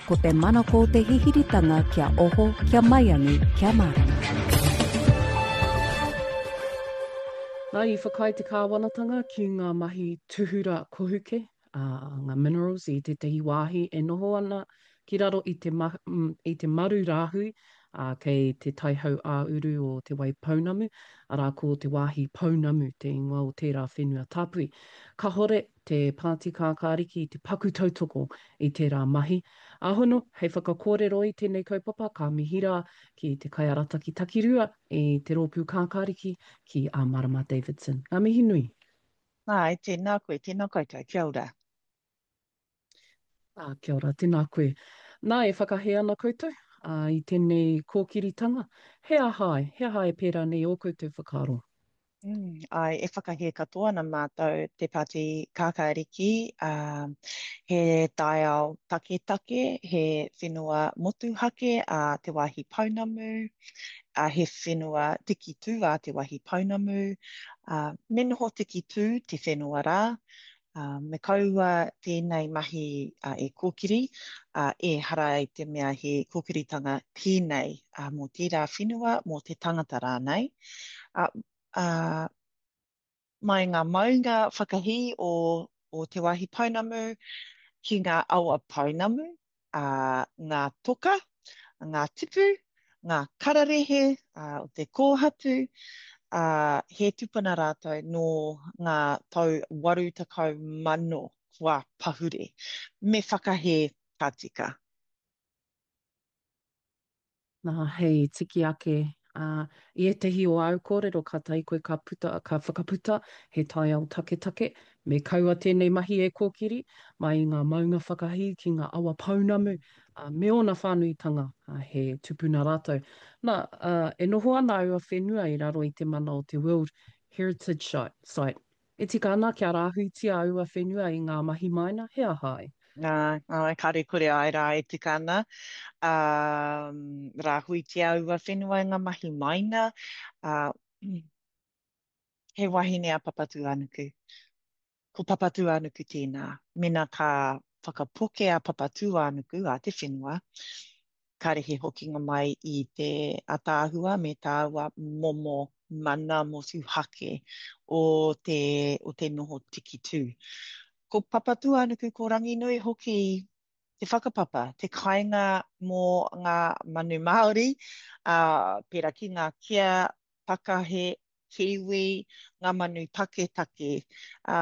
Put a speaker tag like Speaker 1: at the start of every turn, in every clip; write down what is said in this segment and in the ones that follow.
Speaker 1: Ko te manako o te hihiritanga kia oho, kia maiangi, kia mārama.
Speaker 2: Nā, i whakaae te kāwanatanga ki ngā mahi tūhura kohuke, ā, ngā minerals i tētahi wāhi e noho ana ki raro i te, i te maru rāhui, ā, kei te tai hau-ā-uru o Te Waipounamu, arā, ko Te Wāhi Pounamu te ingoa o tērā whenua tāpui. Kahore te Pāti Kākāriki i te paku tautoko i tērā mahi. Āhono, hei whakakōrero i tēnei kaupapa, ka mihi rā ki te kaiarataki takirua i te Rōpū Kākāriki, ki a Marama Davidson. Ngā mihi nui.
Speaker 3: Āe, tēnā koe, tēnā koutou, kia ora.
Speaker 2: Ā, kia ora, tēnā koe. Nā, e whakahē ana koutou, ā, i tēnei kōkiritanga, he aha ai, he aha e pērā nei ō koutou whakaaro?
Speaker 3: Mm, āe, e whakahē katoa ana mātou te Pāti Kākāriki, ā, he taiao taketake, he whenua motuhake a Te Wāhi Pounamu, ā, he whenua tikitū a Te Wāhi Pounamu, ā, me noho tikitū te whenua rā, ā, me kaua tēnei mahi e kōkiri, ā, ehara i te mea he kōkiritanga tēnei mō tērā whenua, mō te tangata rānei. Ā, ā, mai ngā maunga whakahī o, o Te Wāhi Pounamu ki ngā awa pounamu, ā, ngā toka, ngā tipu, ngā kararehe ā, o te kōhatu, ā, he tupuna rātou nō ngā tau 80,000 kua pahure. Me whakahē ka tika.
Speaker 2: Nā, hei tiki ake, ā, i ētahi o āu kōrero kātahi koe ka puta, ka whakaputa he taiao taketake, me kaua tēnei mahi e kōkiri, mai i ngā maunga whakahī ki ngā awa pounamu, ā, me ōna whānuitanga, ā, he tupuna rātou. Nā, ā, e noho ana aua whenua i raro i te mana o te World Heritage Site, E tika ana kia rāhuitia aua whenua i ngā mahi maina, he aha ai?
Speaker 3: Nā, āe, kāre kore āe rā e tika ana, ā, rāhuitia aua whenua i ngā mahi maina, ā, he wahine a Papatūānuku. Ko Papatūānuku tēnā. Mena ka whakapoke a Papatūānuku, a te whenua, kāre he hokinga mai i te ataahua me tāua momo mana motuhake o te, o te noho tikitū. Ko Papatūānuku, ko Ranginui hoki te whakapapa, te kāinga mō ngā manu Māori, ā, pērā ki ngā kea, takahe, kiwi, ngā manu taketake, ā,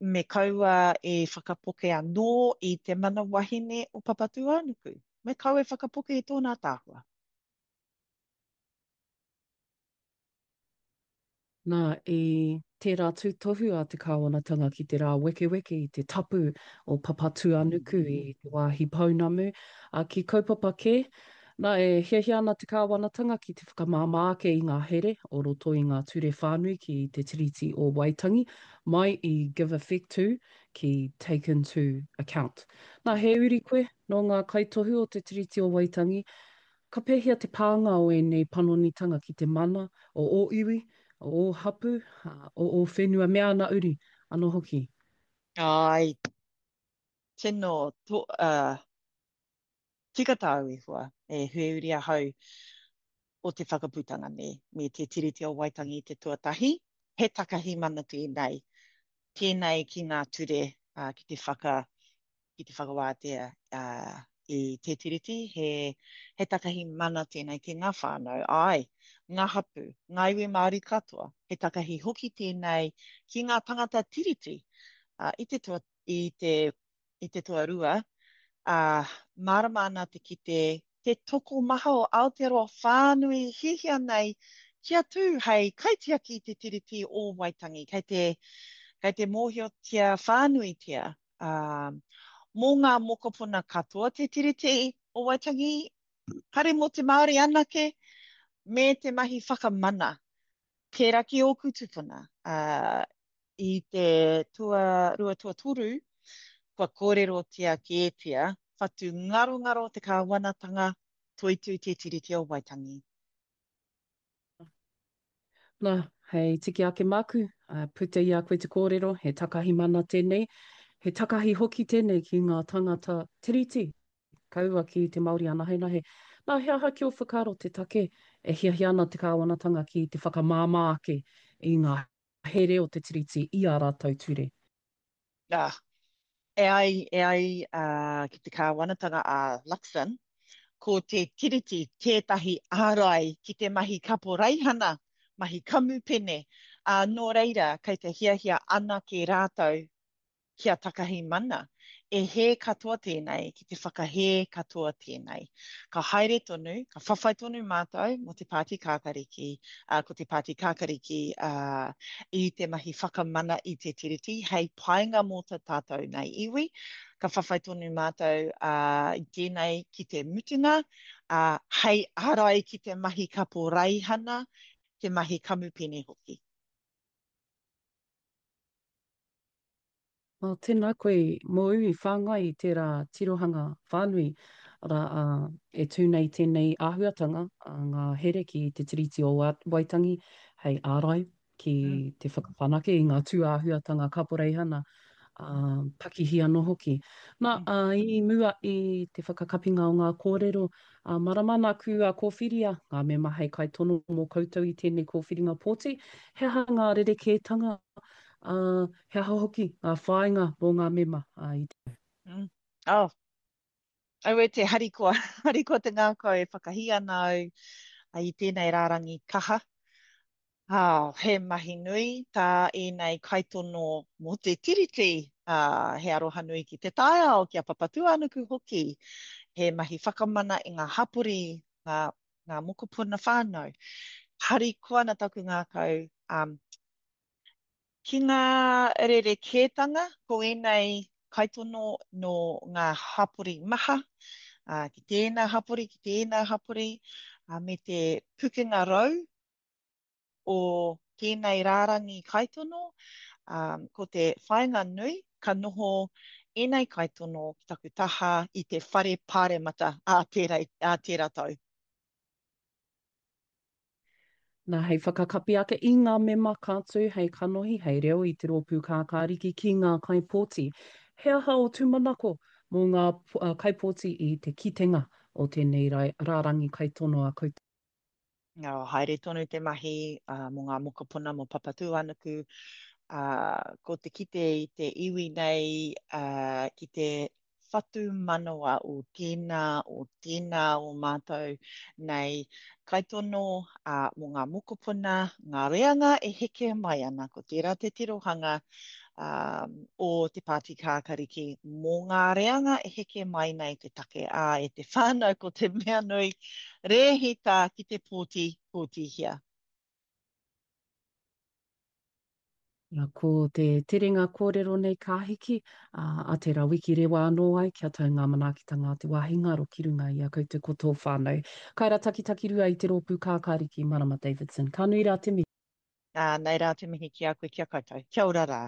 Speaker 3: me kaua e whakapoke anō i te mana wahine o Papatūānuku. Me kaua e whakapoke i tōna ataahua.
Speaker 2: Nā, i tērā tūtohu a te kāwanatanga ki te rāwekeweke i te tapu o Papatūānuku i te wāhi pounamu, ā, ki kaupapa kē, Nā, e hiahia ana te kāwanatanga ki te whakamāmā ake i ngā here o roto i ngā ture whānui ki te Tiriti o Waitangi, mai i give effect to ki take into account. Nā, he uri koe nō ngā kaitohu o te Tiriti o Waitangi, ka pēhea te pānga o ēnei panonitanga ki te mana o ō iwi, o ō hapū, o ō whenua me āna uri anō hoki?
Speaker 3: Āe, tino, to, uh, Tika tāu e hoa, e Hueuri ahau o te whakaputanga nei, me te Tiriti o Waitangi i te tuatahi, he takahi mana tēnei, tēnei ki ngā ture ki te whaka, ki te whakawātea i te Tiriti, he, he takahi mana tēnei ki ngā whānau, āe, ngā hapū, ngā iwi Māori katoa, he takahi hoki tēnei ki ngā tangata Tiriti i te tua, i te i te tuarua, ā, mārama ana te kite te tokomaha o Aotearoa whānui hiahia nei kia tū hei kaitiaki i te Tiriti o Waitangi. Kei te, kei te mōhiotia whānuitia, ā, mō ngā mokopuna katoa te Tiriti o Waitangi, kare mō te Māori anake, me te mahi whakamana Pērā ki ōku tūpuna, ā, i te tuarua tuatoru, kua kōrerotia kētia, whatu ngarongaro te kāwanatanga, toitū te Tiriti o Waitangi.
Speaker 2: Nā, hei tiki ake māku, ā, puta i a koe te kōrero, he takahi mana tēnei, he takahi hoki tēnei ki ngā tāngata Tiriti. Kaua ki te Māori anahenahe. Nā, he aha ki ō whakaaro te take e hiahia ana te kāwanatanga ki te whakamāmā ake i ngā here o te Tiriti i ā rātou ture?
Speaker 3: Nā, e ai, e ai ki te kāwanatanga a Luxon, ko te Tiriti tētahi ārai ki te mahi kaporeihana, mahi kamupene, ā, nō reira, kei te hiahia anake rātou kia takahi mana. E hē katoa tēnei, ki te whakahē katoa tēnei. Ka haere tonu, ka whawhai tonu mātou mō te Pāti Kākariki, ā, ko te Pāti Kākariki, ā, i te mahi whakamana i te Tiriti hei painga mō ta tātou nei iwi. Ka whawhai tonu mātou, ā, i tēnei ki te mutunga, ā, hei ārai ki te mahi kaporeihana, te mahi kamupene hoki.
Speaker 2: Well, tēnā koe mōu i whāngai i tērā tirohanga whānui, arā, ā, e tū nei tēnei āhuatanga, ā, ngā here ki Te Tiriti o Waitangi hei ārai ki te whakawhanake i ngā tūāhuatanga kaporeihana, ā, pakihi anō hoki. Nā, ā, i mua i te whakakapinga o ngā kōrero, ā, marama nā kua kōwhiria ngā mema hei kaitono mō koutou i tēnei kōwhiringa pōti, he aha ngā rerekētanga ā, he aha hoki ngā whāinga mō ngā mema i te.
Speaker 3: Mm. Oh. Aue te harikoa, harikoa te ngākau e whakahī ana au i tēnei rārangi kaha. Oh, he mahi nui tā ēnei kaitono mō te Tiriti, ā, he aroha nui ki te taiao, ki a Papatūānuku hoki. He mahi whakamana i ngā hapori, ngā, ngā mokopuna whānau. Harikoa ana taku ngākau, um, Ki ngā rerekētanga, ko ēnei kaitono nō ngā hapori maha, ā, ki tēnā hapori, ki tēnā hapori, ā, me te pukenga rau o tēnei rārangi kaitono, ā, ko te whāinga nui, ka noho ēnei kaitono ki taku taha i te whare pāremata ā tērā, ā tērā tau.
Speaker 2: Nā, hei whakakapi ake i ngā mema ka tū hei kanohi, hei reo i te Rōpū Kākāriki ki ngā kaipōti. He aha ō tūmanako mō ngā kaipōti i te kitenga o tēnei rārangi kaitono a koutou?
Speaker 3: Nā, haere tonu te mahi mō ngā mokopuna mō Papatūānuku, ā, ko te kite i te iwi nei ki te whatumanawa o tēnā, o tēnā o mātou nei kaitono, ā, mō ngā mokopuna, ngā reanga e heke mai ana, ko tērā te tirohanga, ā, o te Pāti Kākariki mō ngā reanga e heke mai nei te take, ā, e te whānau ko te mea nui, rēhita ki te pōti, pōtihia.
Speaker 2: Na, ko te terenga kōrero nei ka hiki, ā, a tērā wiki rewa anō ai kia tau ngā manaakitanga a te wāhi ngaro ki runga i a koutou ko tō whānau. Kaira Takitakirua i te rōpū Kākāriki, Marama Davidson. Ka nui rā te mihi.
Speaker 3: Ā, nei rā te mihi ki a koe, ki a koutou. Kia ora rā.